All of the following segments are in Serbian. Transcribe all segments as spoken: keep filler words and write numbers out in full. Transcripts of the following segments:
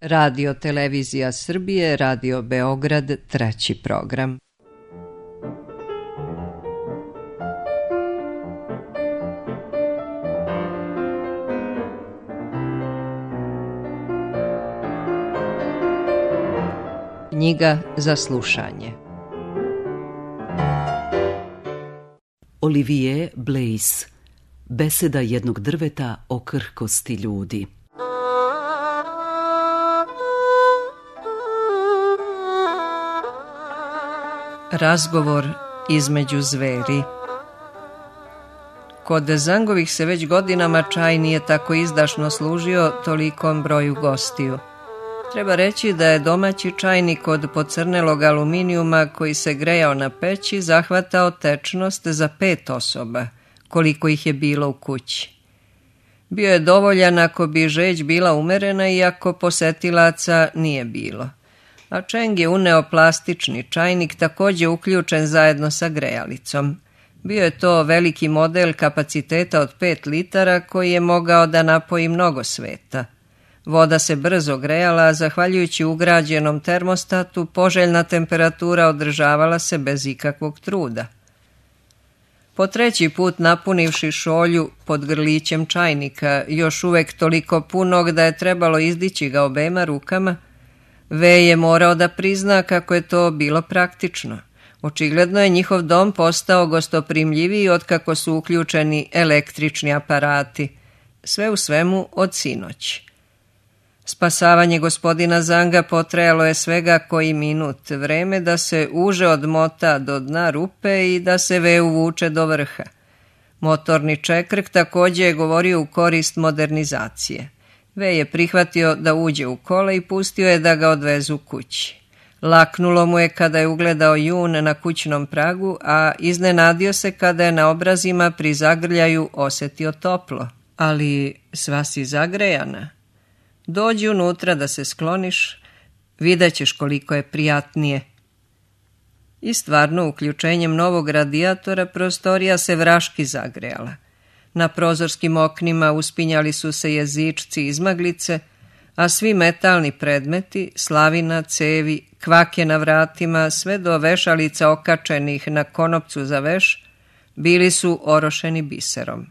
Radio Televizija Srbije, Radio Beograd, treći program. Knjiga za slušanje. Olivier Blaise, Beseda jednog drveta o krhkosti ljudi. Razgovor između zveri. Kod Zangovih se već godinama čaj nije tako izdašno služio tolikom broju gostiju. Treba reći da je domaći čajnik od pocrnelog aluminijuma koji se grejao na peći zahvatao tečnost za pet osoba, koliko ih je bilo u kući. Bio je dovoljan ako bi žeć bila umerena i ako posetilaca nije bilo. A Čeng je uneo plastični čajnik također uključen zajedno sa grejalicom. Bio je to veliki model kapaciteta od pet litara koji je mogao da napoji mnogo sveta. Voda se brzo grejala, a zahvaljujući ugrađenom termostatu poželjna temperatura održavala se bez ikakvog truda. Po treći put napunivši šolju pod grlićem čajnika, još uvek toliko punog da je trebalo izdići ga obema rukama, V je morao da prizna kako je to bilo praktično. Očigledno je njihov dom postao gostoprimljiviji otkako su uključeni električni aparati. Sve u svemu od sinoć. Spasavanje gospodina Zanga potrajalo je svega koji minut, vreme da se uže odmota do dna rupe i da se V uvuče do vrha. Motorni čekrk također je govorio u korist modernizacije. V je prihvatio da uđe u kola i pustio je da ga odvezu kući. Laknulo mu je kada je ugledao jun na kućnom pragu, a iznenadio se kada je na obrazima pri zagrljaju osjetio toplo. Ali sva si zagrejana. Dođi unutra da se skloniš, vidjet ćeš koliko je prijatnije. I stvarno, uključenjem novog radijatora prostorija se vraški zagrejala. Na prozorskim oknima uspinjali su se jezičci izmaglice, a svi metalni predmeti, slavina, cevi, kvake na vratima, sve do vešalica okačenih na konopcu za veš, bili su orošeni biserom.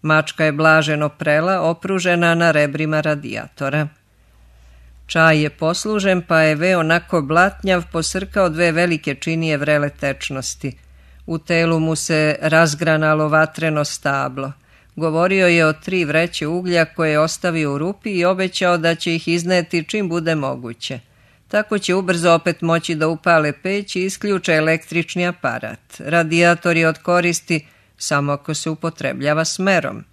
Mačka je blaženo prela, opružena na rebrima radijatora. Čaj je poslužen, pa je V onako blatnjav posrkao dve velike činije vrele tečnosti. U telu mu se razgranalo vatreno stablo. Govorio je o tri vreće uglja koje je ostavio u rupi i obećao da će ih izneti čim bude moguće. Tako će ubrzo opet moći da upale peć i isključe električni aparat. Radijator je od koristi samo ako se upotrebljava smerom.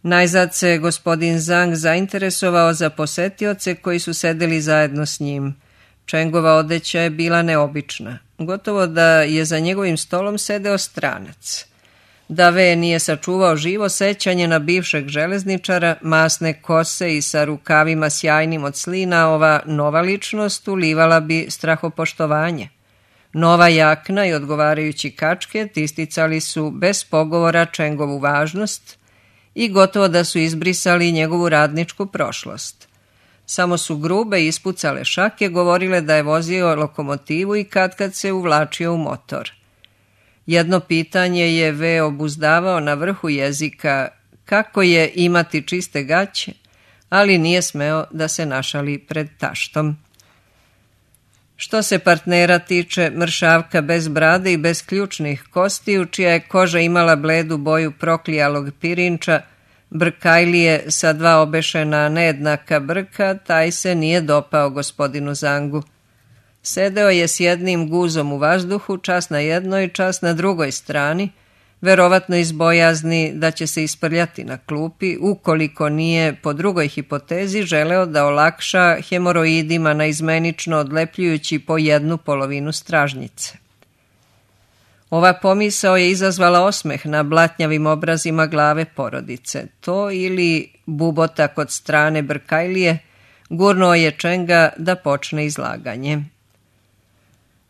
Najzad se gospodin Zang zainteresovao za posetioce koji su sedeli zajedno s njim. Čengova odeća je bila neobična. Gotovo da je za njegovim stolom sedeo stranac. Da V nije sačuvao živo sećanje na bivšeg železničara, masne kose i sa rukavima sjajnim od slina, ova nova ličnost ulivala bi strahopoštovanje. Nova jakna i odgovarajući kačket isticali su bez pogovora Čengovu važnost i gotovo da su izbrisali njegovu radničku prošlost. Samo su grube i ispucale šake govorile da je vozio lokomotivu i katkad se uvlačio u motor. Jedno pitanje je V obuzdavao na vrhu jezika, kako je imati čiste gaće, ali nije smeo da se našali pred taštom. Što se partnera tiče, mršavka bez brade i bez ključnih kostiju, čija je koža imala bledu boju proklijalog pirinča, brkajlije sa dva obešena nejednaka brka, taj se nije dopao gospodinu Zangu. Sedeo je s jednim guzom u vazduhu, čas na jednoj, čas na drugoj strani, verovatno iz bojazni da će se isprljati na klupi, ukoliko nije, po drugoj hipotezi, želeo da olakša hemoroidima naizmenično odlepljujući po jednu polovinu stražnjice. Ova pomisao je izazvala osmeh na blatnjavim obrazima glave porodice. To ili bubota kod strane brkajlije gurnuo je Čenga da počne izlaganje.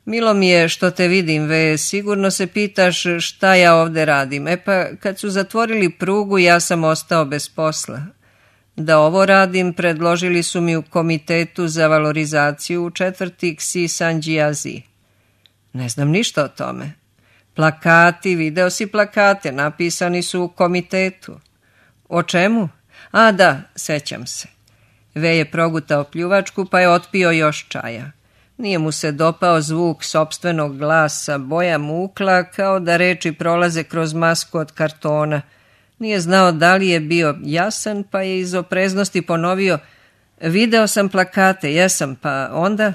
Milo mi je što te vidim, Ve, sigurno se pitaš šta ja ovde radim. E pa, kad su zatvorili prugu, ja sam ostao bez posla. Da ovo radim predložili su mi u komitetu za valorizaciju u četvrti Ksi Sanđijazi. Ne znam ništa o tome. Plakati, video si plakate, napisani su u komitetu. O čemu? A da, sećam se. Ve je progutao pljuvačku pa je otpio još čaja. Nije mu se dopao zvuk sopstvenog glasa, boja mukla kao da reči prolaze kroz masku od kartona. Nije znao da li je bio jasan pa je iz opreznosti ponovio: video sam plakate, jesam, pa onda...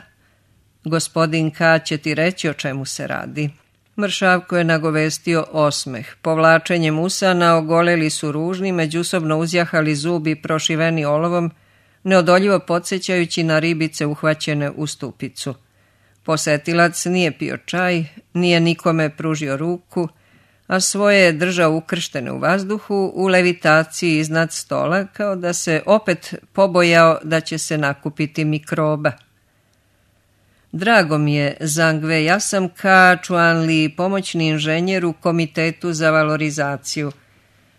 Gospodin K. će ti reći o čemu se radi. Mršavko je nagovestio osmeh. Povlačenjem usana ogoleli su ružni, međusobno uzjahali zubi prošiveni olovom, neodoljivo podsjećajući na ribice uhvaćene u stupicu. Posetilac nije pio čaj, nije nikome pružio ruku, a svoje je držao ukrštene u vazduhu u levitaciji iznad stola, kao da se opet pobojao da će se nakupiti mikroba. Drago mi je, Zangve, ja sam Ka Čuanli, pomoćni inženjer u komitetu za valorizaciju.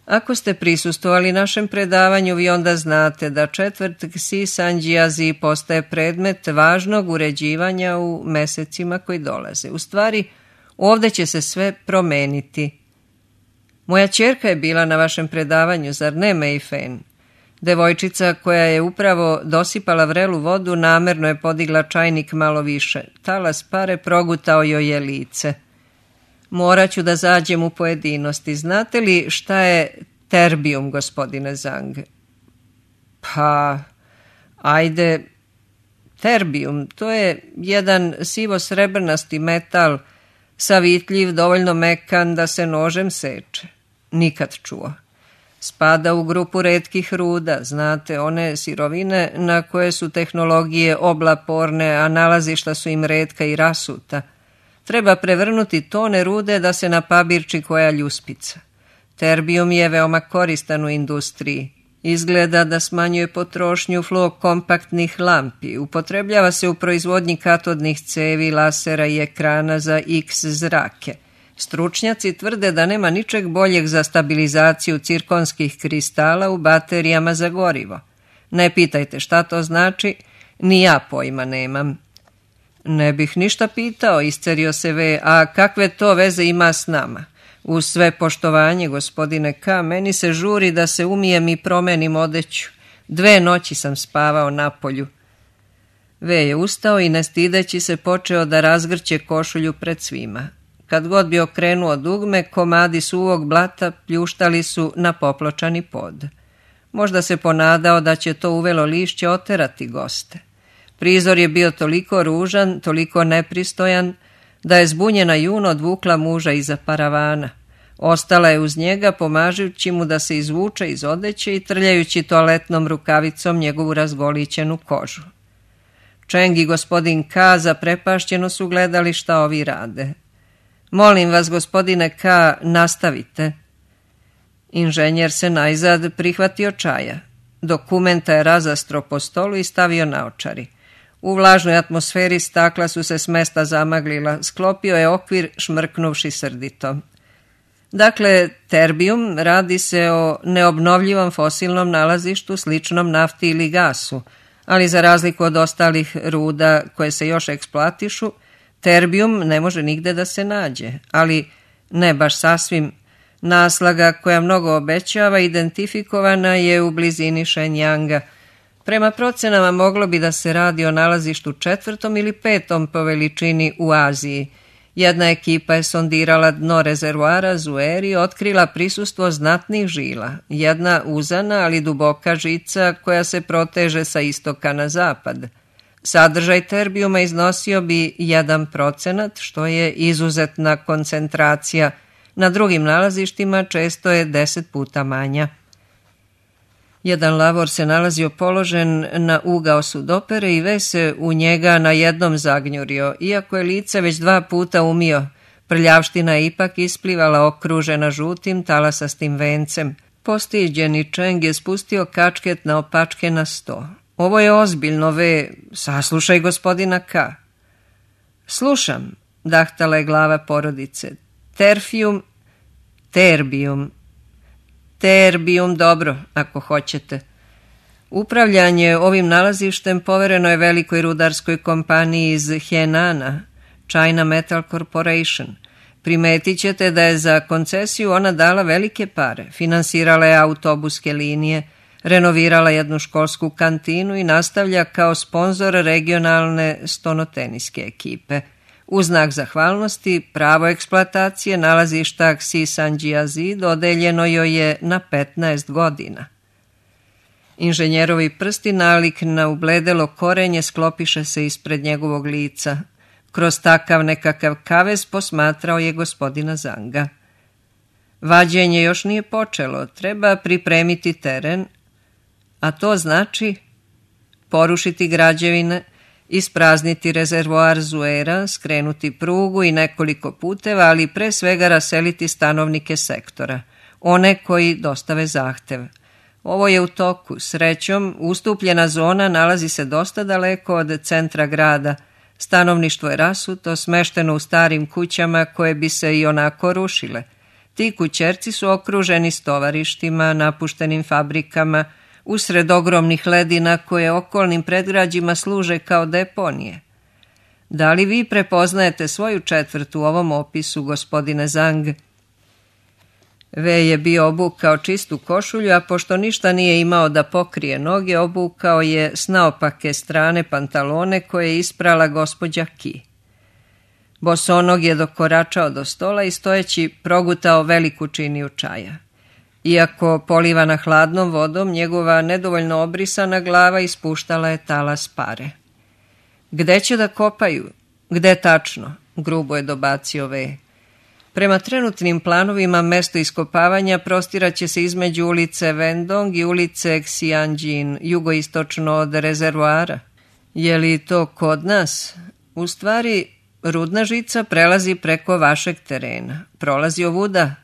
Ako ste prisustvovali našem predavanju, vi onda znate da četvrt Ksi Sanđijazi postaje predmet važnog uređivanja u mesecima koji dolaze. U stvari, ovdje će se sve promeniti. Moja ćerka je bila na vašem predavanju, zar ne, Meifen? Devojčica koja je upravo dosipala vrelu vodu namerno je podigla čajnik malo više. Talas pare progutao joj je lice. Morat ću da zađem u pojedinosti. Znate li šta je terbijum, gospodine Zang? Pa, ajde, terbijum, to je jedan sivo-srebrnasti metal, savitljiv, dovoljno mekan da se nožem seče. Nikad čuo. Spada u grupu retkih ruda, znate, one sirovine na koje su tehnologije oblaporne, a nalazišta su im retka i rasuta. Treba prevrnuti tone rude da se napabirči koja ljuspica. Terbijum je veoma koristan u industriji. Izgleda da smanjuje potrošnju fluokompaktnih lampi. Upotrebljava se u proizvodnji katodnih cevi, lasera i ekrana za X zrake. Stručnjaci tvrde da nema ničeg boljeg za stabilizaciju cirkonskih kristala u baterijama za gorivo. Ne pitajte šta to znači, ni ja pojma nemam. Ne bih ništa pitao, iscerio se Ve, a kakve to veze ima s nama? Uz sve poštovanje, gospodine K., meni se žuri da se umijem i promenim odeću. Dve noći sam spavao napolju. Ve je ustao i ne stideći se počeo da razgrće košulju pred svima. Kad god bi okrenuo dugme, komadi suvog blata pljuštali su na popločani pod. Možda se ponadao da će to uvelo lišće oterati goste. Prizor je bio toliko ružan, toliko nepristojan, da je zbunjena Juno odvukla muža iza paravana. Ostala je uz njega, pomažući mu da se izvuče iz odeće i trljajući toaletnom rukavicom njegovu razgolićenu kožu. Čeng i gospodin K. zaprepašćeno su gledali šta ovi rade. Molim vas, gospodine K., nastavite. Inženjer se najzad prihvatio čaja. Dokumenta je razastro po stolu i stavio naočari. U vlažnoj atmosferi stakla su se s mesta zamaglila. Sklopio je okvir, šmrknuvši srdito. Dakle, terbijum radi se o neobnovljivom fosilnom nalazištu sličnom nafti ili gasu, ali za razliku od ostalih ruda koje se još eksploatišu, terbijum ne može nigde da se nađe, ali ne baš sasvim. Naslaga koja mnogo obećava identifikovana je u blizini Shenyanga. Prema procenama moglo bi da se radi o nalazištu četvrtom ili petom po veličini u Aziji. Jedna ekipa je sondirala dno rezervoara Zueri i otkrila prisustvo znatnih žila. Jedna uzana, ali duboka žica koja se proteže sa istoka na zapad. Sadržaj terbijuma iznosio bi jedan procenat, što je izuzetna koncentracija. Na drugim nalazištima često je deset puta manja. Jedan lavor se nalazio položen na ugao sudopere i Ve se u njega na jednom zagnjurio, iako je lice već dva puta umio. Prljavština je ipak isplivala okružena žutim talasastim vencem. Postiđeni Čeng je spustio kačket na opačke na sto. Ovo je ozbiljno, Ve, saslušaj gospodina K. Slušam, dahtala je glava porodice. Terfijum, terbijum. Terbijum, dobro, ako hoćete. Upravljanje ovim nalazištem povereno je velikoj rudarskoj kompaniji iz Henana, China Metal Corporation. Primetit ćete da je za koncesiju ona dala velike pare, finansirala je autobuske linije, renovirala jednu školsku kantinu i nastavlja kao sponzor regionalne stonoteniske ekipe. U znak zahvalnosti, pravo eksploatacije nalazišta Xi Sanjiazi dodeljeno joj je na petnaest godina. Inženjerovi prsti nalik na ubledelo korenje sklopiše se ispred njegovog lica. Kroz takav nekakav kavez posmatrao je gospodina Zanga. Vađenje još nije počelo, treba pripremiti teren, a to znači porušiti građevine, isprazniti rezervoar Zuera, skrenuti prugu i nekoliko puteva, ali pre svega raseliti stanovnike sektora, one koji dostave zahtev. Ovo je u toku. Srećom, ustupljena zona nalazi se dosta daleko od centra grada. Stanovništvo je rasuto, smešteno u starim kućama koje bi se i onako rušile. Ti kućerci su okruženi stovarištima, napuštenim fabrikama, usred ogromnih ledina koje okolnim predgrađima služe kao deponije. Da li vi prepoznajete svoju četvrt u ovom opisu, gospodine Zang? Ve je bio obukao čistu košulju, a pošto ništa nije imao da pokrije noge, obukao je s naopake strane pantalone koje je isprala gospođa Ki. Bosonog je dokoračao do stola i stojeći progutao veliku činiju čaja. Iako polivana hladnom vodom, njegova nedovoljno obrisana glava ispuštala je talas pare. Gde će da kopaju? Gde tačno? Grubo je dobacio Ve. Prema trenutnim planovima mesto iskopavanja prostiraće se između ulice Vendong i ulice Xianjin, jugoistočno od rezervoara. Je li to kod nas? U stvari, rudna žica prelazi preko vašeg terena. Prolazi ovuda,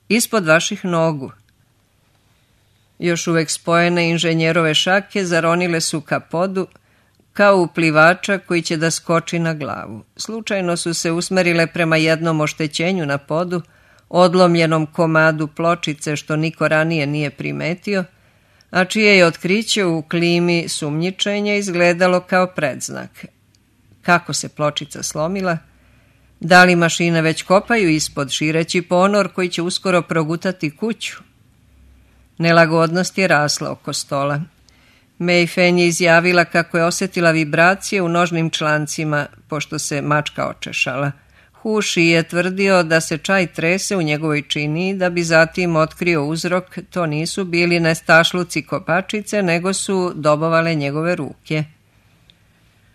ispod vaših nogu. Još uvek spojene inženjerove šake zaronile su ka podu, kao uplivača koji će da skoči na glavu. Slučajno su se usmerile prema jednom oštećenju na podu, odlomljenom komadu pločice što niko ranije nije primetio, a čije je otkriće u klimi sumnjičenja izgledalo kao predznak. Kako se pločica slomila? Da li mašine već kopaju ispod, šireći ponor koji će uskoro progutati kuću? Nelagodnost je rasla oko stola. Mei Fen je izjavila kako je osjetila vibracije u nožnim člancima, pošto se mačka očešala. Hu Shi je tvrdio da se čaj trese u njegovoj činiji, da bi zatim otkrio uzrok. To nisu bili nestašluci kopačice, nego su dobovale njegove ruke.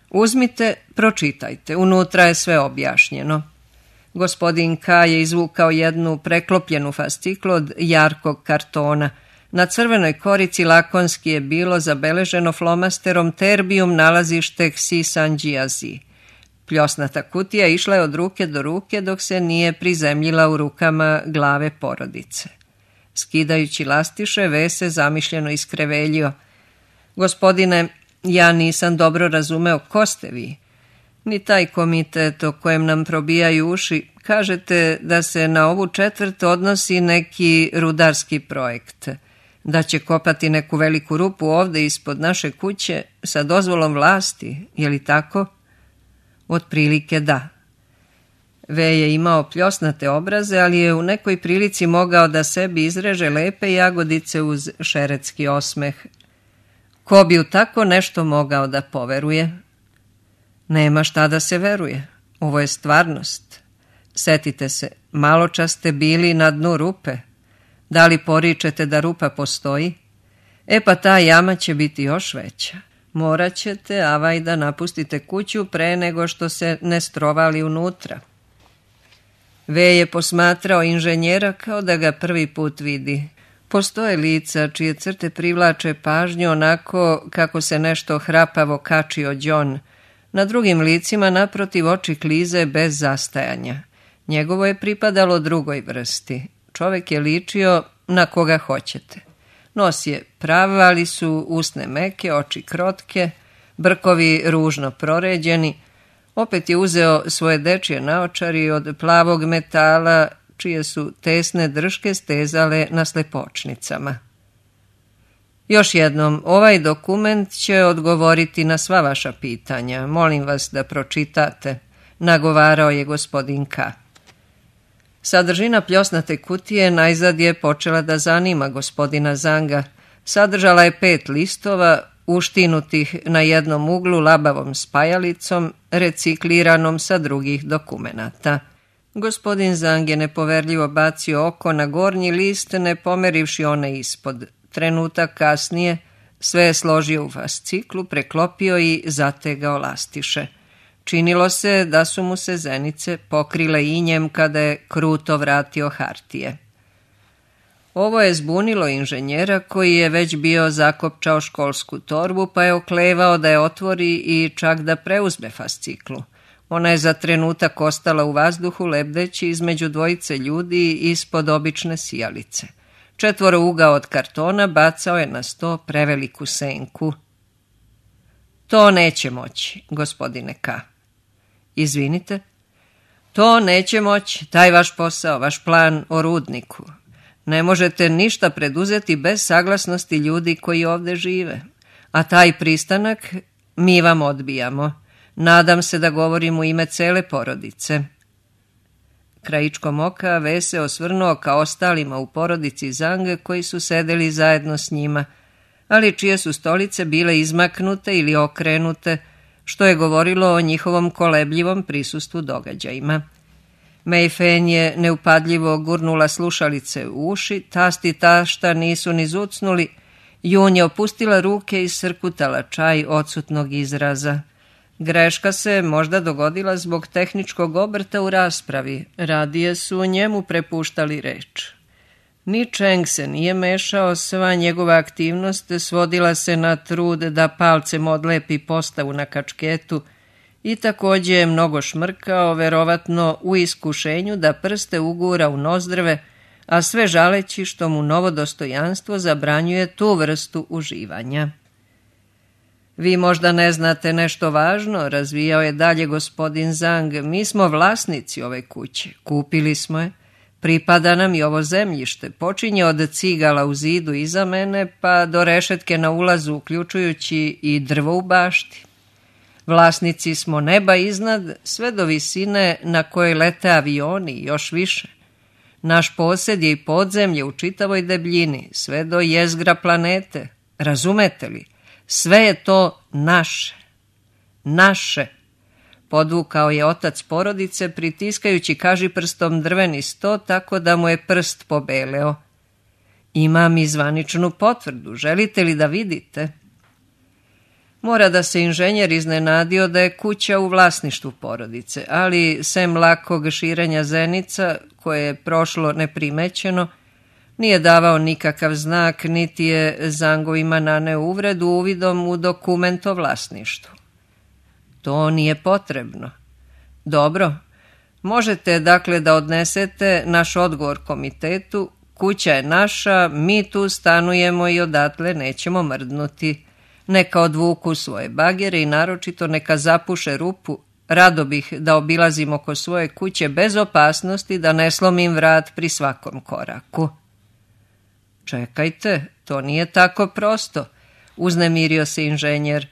Uzmite, pročitajte, unutra je sve objašnjeno. Gospodin Ka je izvukao jednu preklopljenu fasciklu od jarkog kartona. Na crvenoj korici lakonski je bilo zabeleženo flomasterom Terbium nalazište Xi Sanjiazi. Pljosnata kutija išla je od ruke do ruke dok se nije prizemljila u rukama glave porodice. Skidajući lastiše, Ve se zamišljeno iskreveljio. Gospodine, ja nisam dobro razumeo ko ste vi. Ni taj komitet o kojem nam probijaju uši. Kažete da se na ovu četvrt odnosi neki rudarski projekt. Da će kopati neku veliku rupu ovde ispod naše kuće sa dozvolom vlasti, je li tako? Otprilike da. Ve je imao pljosnate obraze, ali je u nekoj prilici mogao da sebi izreže lepe jagodice uz šeretski osmeh. Ko bi u tako nešto mogao da poveruje? Nema šta da se veruje. Ovo je stvarnost. Setite se, maločas ste bili na dnu rupe. Da li poričete da rupa postoji? E pa ta jama će biti još veća. Morat ćete, avaj, da napustite kuću pre nego što se ne strovali unutra. Ve je posmatrao inženjera kao da ga prvi put vidi. Postoje lica čije crte privlače pažnju onako kako se nešto hrapavo kačio đon. Na drugim licima naprotiv oči klize bez zastajanja. Njegovo je pripadalo drugoj vrsti. Čovek je ličio na koga hoćete. Nos je prav, ali su usne meke, oči krotke, brkovi ružno proređeni. Opet je uzeo svoje dečje naočari od plavog metala, čije su tesne drške stezale na slepočnicama. Još jednom, ovaj dokument će odgovoriti na sva vaša pitanja. Molim vas da pročitate, nagovarao je gospodin K. Sadržina pljosnate kutije najzad je počela da zanima gospodina Zanga. Sadržala je pet listova, uštinutih na jednom uglu labavom spajalicom, recikliranom sa drugih dokumenata. Gospodin Zang je nepoverljivo bacio oko na gornji list, ne pomerivši one ispod. Trenutak kasnije sve je složio u fasciklu, preklopio i zategao lastiše. Činilo se da su mu se zenice pokrile injem kada je kruto vratio hartije. Ovo je zbunilo inženjera koji je već bio zakopčao školsku torbu, pa je oklevao da je otvori i čak da preuzme fasciklu. Ona je za trenutak ostala u vazduhu lebdeći između dvojice ljudi ispod obične sijalice. Četvorougao od kartona bacao je na sto preveliku senku. To neće moći, gospodine K. Izvinite? To neće moći, taj vaš posao, vaš plan o rudniku. Ne možete ništa preduzeti bez saglasnosti ljudi koji ovdje žive. A taj pristanak mi vam odbijamo. Nadam se da govorim u ime cele porodice. Krajičkom oka V se osvrnuo ka ostalima u porodici Zang koji su sedeli zajedno s njima, ali čije su stolice bile izmaknute ili okrenute, što je govorilo o njihovom kolebljivom prisustvu događajima. Mei Fen je neupadljivo gurnula slušalice u uši, tast i tašta nisu ni zucnuli, Jun je opustila ruke i srkutala čaj odsutnog izraza. Greška se možda dogodila zbog tehničkog obrta u raspravi, radije su njemu prepuštali reč. Ni Čeng se nije mešao, sva njegova aktivnost svodila se na trud da palcem odlepi postavu na kačketu i također je mnogo šmrkao, verovatno u iskušenju da prste ugura u nozdrve, a sve žaleći što mu novo dostojanstvo zabranjuje tu vrstu uživanja. Vi možda ne znate nešto važno, razvijao je dalje gospodin Zang. Mi smo vlasnici ove kuće, kupili smo je, pripada nam i ovo zemljište, počinje od cigala u zidu iza mene pa do rešetke na ulazu, uključujući i drvo u bašti. Vlasnici smo neba iznad, sve do visine na kojoj lete avioni i još više. Naš posjed je i podzemlje u čitavoj debljini, sve do jezgra planete, razumete li? Sve je to naše. Naše. Podvukao je otac porodice, pritiskajući kažiprstom drveni sto tako da mu je prst pobeleo. Imam i zvaničnu potvrdu, želite li da vidite? Mora da se inženjer iznenadio da je kuća u vlasništvu porodice, ali sem lakog širenja zenica, koje je prošlo neprimećeno, nije davao nikakav znak, niti je Zangovima naneo uvredu uvidom u dokument o vlasništvu. To nije potrebno. Dobro, možete dakle da odnesete naš odgovor komitetu, kuća je naša, mi tu stanujemo i odatle nećemo mrdnuti. Neka odvuku svoje bagere i naročito neka zapuše rupu, rado bih da obilazim oko svoje kuće bez opasnosti da ne slomim vrat pri svakom koraku. Čekajte, to nije tako prosto, uznemirio se inženjer.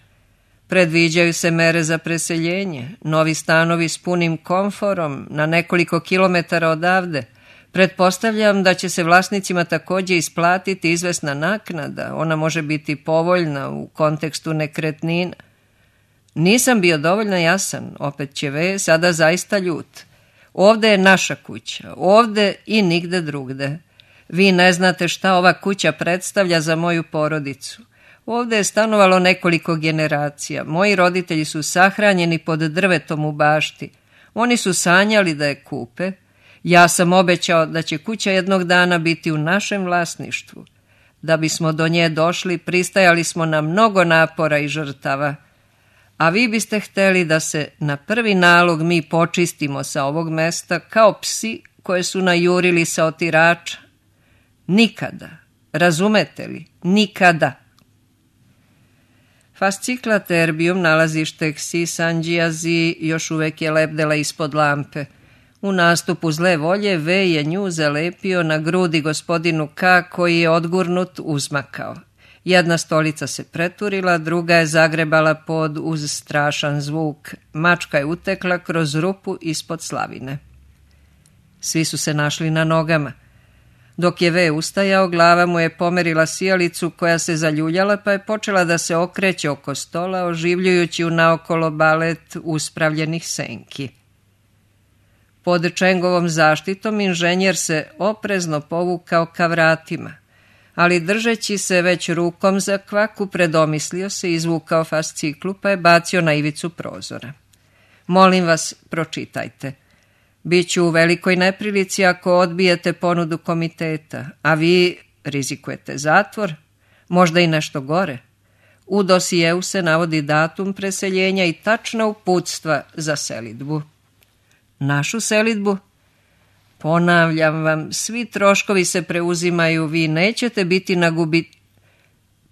Predviđaju se mere za preseljenje, novi stanovi s punim komforom na nekoliko kilometara odavde. Pretpostavljam da će se vlasnicima također isplatiti izvesna naknada, ona može biti povoljna u kontekstu nekretnina. Nisam bio dovoljno jasan, opet će V sada zaista ljut. Ovde je naša kuća, ovde i nigde drugde. Vi ne znate šta ova kuća predstavlja za moju porodicu. Ovde je stanovalo nekoliko generacija. Moji roditelji su sahranjeni pod drvetom u bašti. Oni su sanjali da je kupe. Ja sam obećao da će kuća jednog dana biti u našem vlasništvu. Da bismo do nje došli, pristajali smo na mnogo napora i žrtava. A vi biste hteli da se na prvi nalog mi počistimo sa ovog mesta kao psi koje su najurili sa otirača. Nikada. Razumete li? Nikada. Fascikla Terbium, nalazište Ksi Sanđijazi, još uvek je lebdela ispod lampe. U nastupu zle volje V je nju zalepio na grudi gospodinu K, koji je odgurnut uzmakao. Jedna stolica se preturila, druga je zagrebala pod uz strašan zvuk. Mačka je utekla kroz rupu ispod slavine. Svi su se našli na nogama. Dok je V ustajao, glava mu je pomerila sijalicu koja se zaljuljala, pa je počela da se okreće oko stola, oživljujući u naokolo balet uspravljenih senki. Pod Čengovom zaštitom inženjer se oprezno povukao ka vratima, ali držeći se već rukom za kvaku, predomislio se, izvukao fasciklu pa je bacio na ivicu prozora. Molim vas, pročitajte. Biću u velikoj neprilici ako odbijete ponudu komiteta, a vi rizikujete zatvor, možda i nešto gore. U dosijeu se navodi datum preseljenja i tačna uputstva za selidbu. Našu selidbu? Ponavljam vam, svi troškovi se preuzimaju, vi nećete biti na gubi...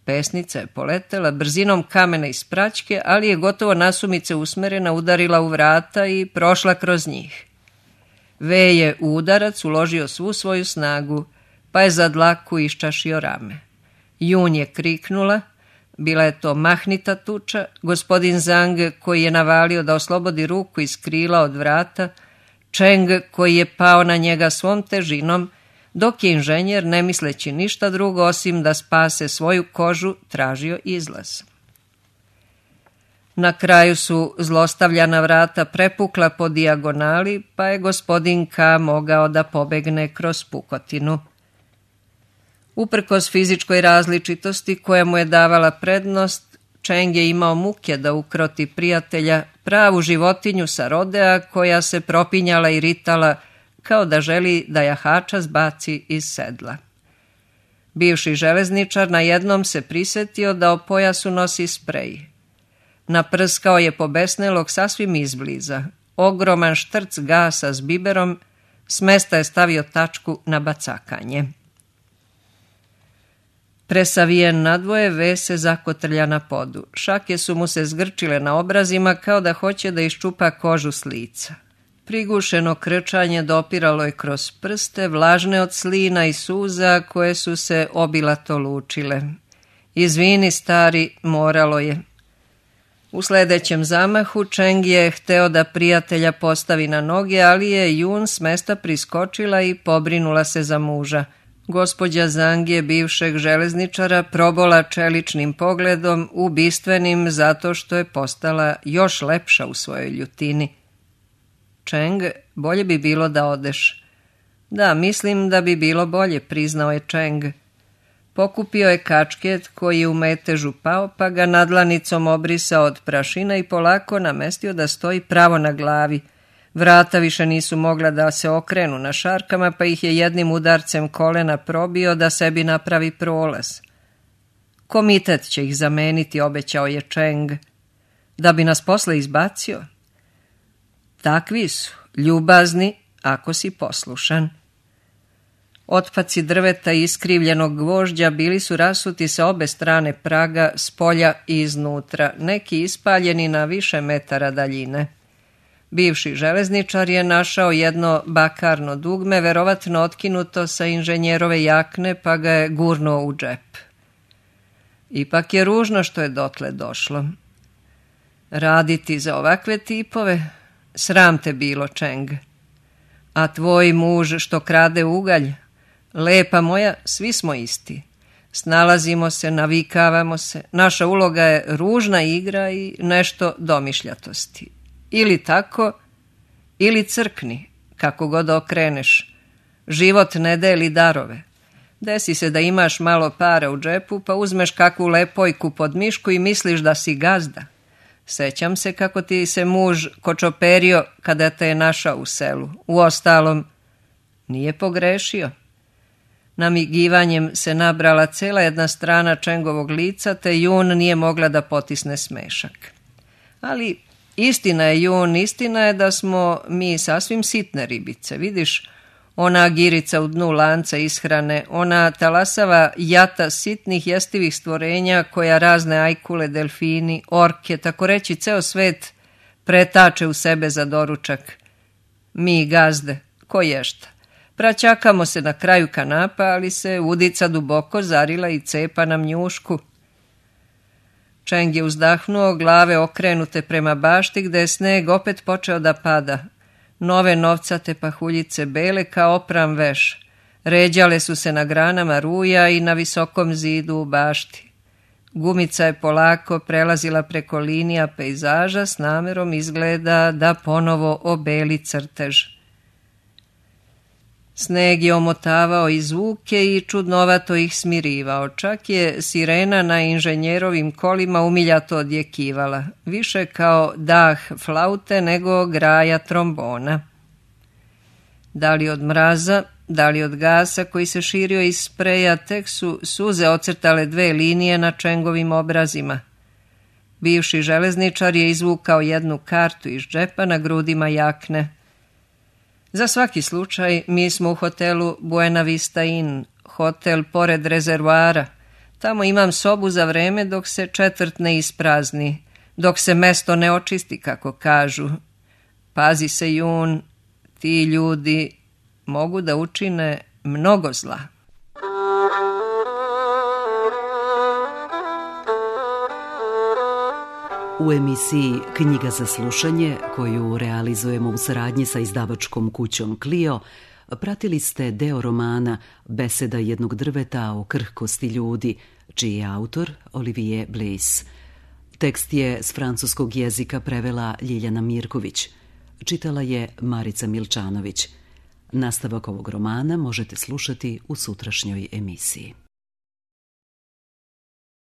Pesnica je poletela brzinom kamena iz praćke, ali je gotovo nasumice usmerena, udarila u vrata i prošla kroz njih. V je u udarac uložio svu svoju snagu, pa je za dlaku iščašio rame. Jun je kriknula, bila je to mahnita tuča, gospodin Zang koji je navalio da oslobodi ruku iz krila od vrata, Čeng koji je pao na njega svom težinom, dok je inženjer, ne misleći ništa drugo osim da spase svoju kožu, tražio izlaz. Na kraju su zlostavljana vrata prepukla po dijagonali, pa je gospodin K mogao da pobegne kroz pukotinu. Uprkos fizičkoj različitosti koja mu je davala prednost, Čeng je imao muke da ukroti prijatelja, pravu životinju sa rodea koja se propinjala i ritala kao da želi da jahača zbaci iz sedla. Bivši železničar na jednom se prisetio da o pojasu nosi sprej. Naprskao je pobesnelog sasvim izbliza. Ogroman štrc gasa s biberom, s mesta je stavio tačku na bacakanje. Presavijen nadvoje, V se zakotrlja na podu. Šake su mu se zgrčile na obrazima kao da hoće da iščupa kožu s lica. Prigušeno krčanje dopiralo je kroz prste, vlažne od slina i suza koje su se obilato lučile. Izvini, stari, moralo je. U sljedećem zamahu Čeng je hteo da prijatelja postavi na noge, ali je Jun s mesta priskočila i pobrinula se za muža. Gospođa Zang je bivšeg železničara probola čeličnim pogledom, ubistvenim zato što je postala još lepša u svojoj ljutini. Čeng, bolje bi bilo da odeš. Da, mislim da bi bilo bolje, priznao je Čeng. Pokupio je kačket koji je u metežu pao, pa ga nadlanicom obrisao od prašina i polako namestio da stoji pravo na glavi. Vrata više nisu mogla da se okrenu na šarkama, pa ih je jednim udarcem kolena probio da sebi napravi prolaz. Komitet će ih zameniti, obećao je Čeng. Da bi nas posle izbacio? Takvi su, ljubazni, ako si poslušan. Otpaci drveta i iskrivljenog gvožđa bili su rasuti sa obe strane praga, s polja i iznutra, neki ispaljeni na više metara daljine. Bivši železničar je našao jedno bakarno dugme, verovatno otkinuto sa inženjerove jakne, pa ga je gurnuo u džep. Ipak je ružno što je dotle došlo. Raditi za ovakve tipove? Sram te bilo, Čeng. A tvoj muž što krade ugalj? Lepa moja, svi smo isti. Snalazimo se, navikavamo se. Naša uloga je ružna igra i nešto domišljatosti. Ili tako, ili crkni, kako god okreneš. Život ne deli darove. Desi se da imaš malo para u džepu, pa uzmeš kakvu lepojku pod mišku i misliš da si gazda. Sećam se kako ti se muž kočoperio kada te je našao u selu. Uostalom, nije pogrešio. Namigivanjem se nabrala cela jedna strana Čengovog lica, te Jun nije mogla da potisne smešak. Ali istina je, Jun, istina je da smo mi sasvim sitne ribice. Vidiš, ona girica u dnu lanca ishrane, ona talasava jata sitnih jestivih stvorenja koja razne ajkule, delfini, orke, tako reći ceo svet pretače u sebe za doručak. Mi gazde, ko ješta? Praćakamo se na kraju kanapa, ali se udica duboko zarila i cepa nam njušku. Čeng je uzdahnuo, glave okrenute prema bašti, gde je sneg opet počeo da pada. Nove novcate pahuljice bele kao opran veš. Ređale su se na granama ruja i na visokom zidu u bašti. Gumica je polako prelazila preko linija pejzaža s namerom izgleda da ponovo obeli crtež. Sneg je omotavao i zvuke i čudnovato ih smirivao. Čak je sirena na inženjerovim kolima umiljato odjekivala, više kao dah flaute nego graja trombona. Da li od mraza, da li od gasa koji se širio iz spreja, tek su suze ocrtale dve linije na Čengovim obrazima. Bivši železničar je izvukao jednu kartu iz džepa na grudima jakne. Za svaki slučaj mi smo u hotelu Buena Vista Inn, hotel pored rezervoara. Tamo imam sobu za vreme dok se četvrt ne isprazni, dok se mesto ne očisti, kako kažu. Pazi se, Jun, ti ljudi mogu da učine mnogo zla. U emisiji Knjiga za slušanje, koju realizujemo u saradnji sa izdavačkom kućom Clio, pratili ste deo romana Beseda jednog drveta o krhkosti ljudi, čiji je autor Olivier Bliss. Tekst je s francuskog jezika prevela Ljiljana Mirković. Čitala je Marica Milčanović. Nastavak ovog romana možete slušati u sutrašnjoj emisiji.